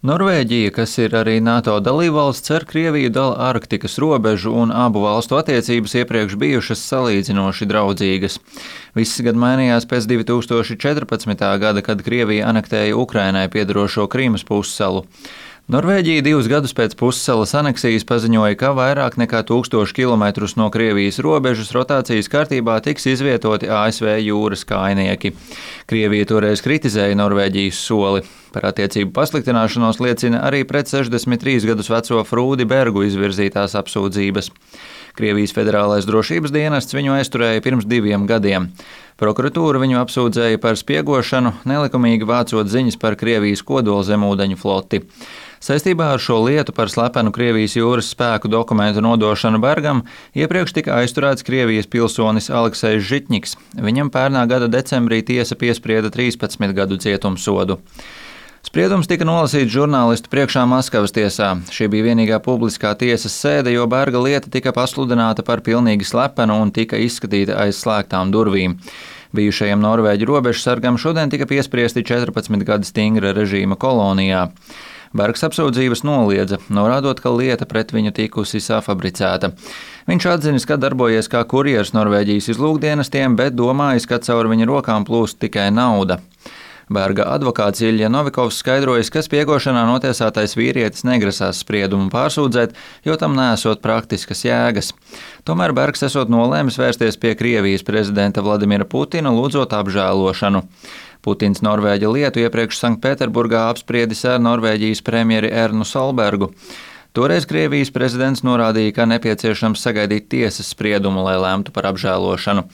Norvēģija, kas ir arī NATO dalībvalsts, ar Krieviju dala Arktikas robežu, un abu valstu attiecības iepriekš bijušas salīdzinoši draudzīgas. Viss gan mainījās pēc 2014. gada, kad Krievija anektēja Ukrainai piederošo Krīmas pussalu. Norvēģija 2 gadus pēc pussalas aneksijas paziņoja, ka vairāk nekā 1000 kilometrus no Krievijas robežas rotācijas kārtībā tiks izvietoti ASV jūras kājnieki. Krievija toreiz kritizēja Norvēģijas soli. Par attiecību pasliktināšanos liecina arī pret 63 gadus veco Frūdi Bergu izvirzītās apsūdzības. Krievijas federālais drošības dienests viņu aizturēja pirms 2 gadiem. Prokuratūra viņu apsūdzēja par spiegošanu, nelikumīgi vācot ziņas par Krievijas kodolzemūdeņu floti. Saistībā ar šo lietu par slepenu Krievijas jūras spēku dokumentu nodošanu Bergam iepriekš tika aizturēts Krievijas pilsonis Aleksejs Žitņiks. Viņam pērnā gada decembrī tiesa piesprieda 13 gadu cietumsodu. Spriedums tika nolasīts žurnālistu priekšā Maskavas tiesā. Šī bija vienīgā publiskā tiesas sēde, jo Berga lieta tika pasludināta par pilnīgi slepenu un tika izskatīta aiz slēgtām durvīm. Bijušajam norvēģu robežsargam šodien tika piespriesti 14 gadi stingra režīma kolonijā. Bergs apsūdzības noliedza, norādot, ka lieta pret viņu tikusi safabricēta. Viņš atzinis, ka darbojies kā kurjers Norvēģijas izlūkdienestiem, bet domājis, ka caur viņa rokām plūst tikai nauda. Berga advokāts Ilja Novikovs skaidrojas, ka spiegošanā notiesātais vīrietis negrasās spriedumu pārsūdzēt, jo tam nesot praktiskas jēgas. Tomēr Bergs esot nolēmis vērsties pie Krievijas prezidenta Vladimira Putina, lūdzot apžēlošanu. Putins Norvēģa lietu iepriekš Sanktpēterburgā apspriedis ar Norvēģijas premjeri Ernu Solbergu. Toreiz Krievijas prezidents norādīja, ka nepieciešams sagaidīt tiesas spriedumu, lai lēmtu par apžēlošanu.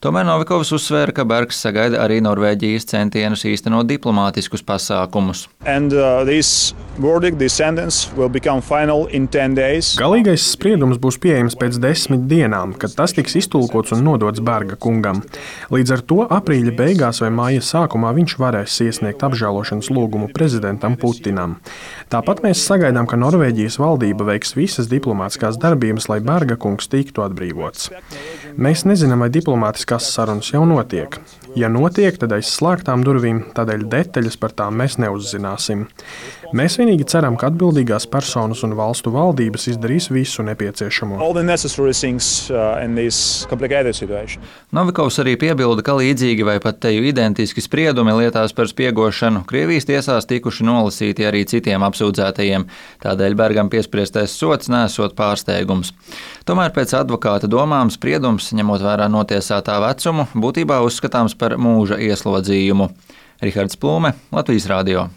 Tomēr Novikovs uzsvēra, ka Bergs sagaida arī Norvēģijas centienus īstenot diplomātiskus pasākumus. Galīgais spriedums būs pieejams pēc 10 dienām, kad tas tiks iztulkots un nodots Berga kungam. Līdz ar to aprīļa beigās vai māja sākumā viņš varēs iesniegt apžēlošanas lūgumu prezidentam Putinam. Tāpat mēs sagaidām, ka Norvēģijas valdība veiks visas diplomātiskās darbības, lai Berga kungs tiktu atbrīvots. Mēs nezinām, vai diplomātiskās sarunas jau notiek. Ja notiek, tad aiz slēgtām durvīm, tādēļ detaļas par tām mēs neuzzināsim. Mēs vienīgi ceram, ka atbildīgās personas un valstu valdības izdarīs visu nepieciešamo. Novikovs arī piebilda, ka līdzīgi vai pat teju identiski spriedumi lietās par spiegošanu Krievijas tiesās tikuši nolasīti arī citiem apsūdzētajiem, tādēļ Bergam piespriestais sods nesot pārsteigums. Tomēr pēc advokāta domām spriedums, ņemot vērā notiesātā vecumu, būtībā uzskatāms par mūža ieslodzījumu. Rihards Plūme, Latvijas radio.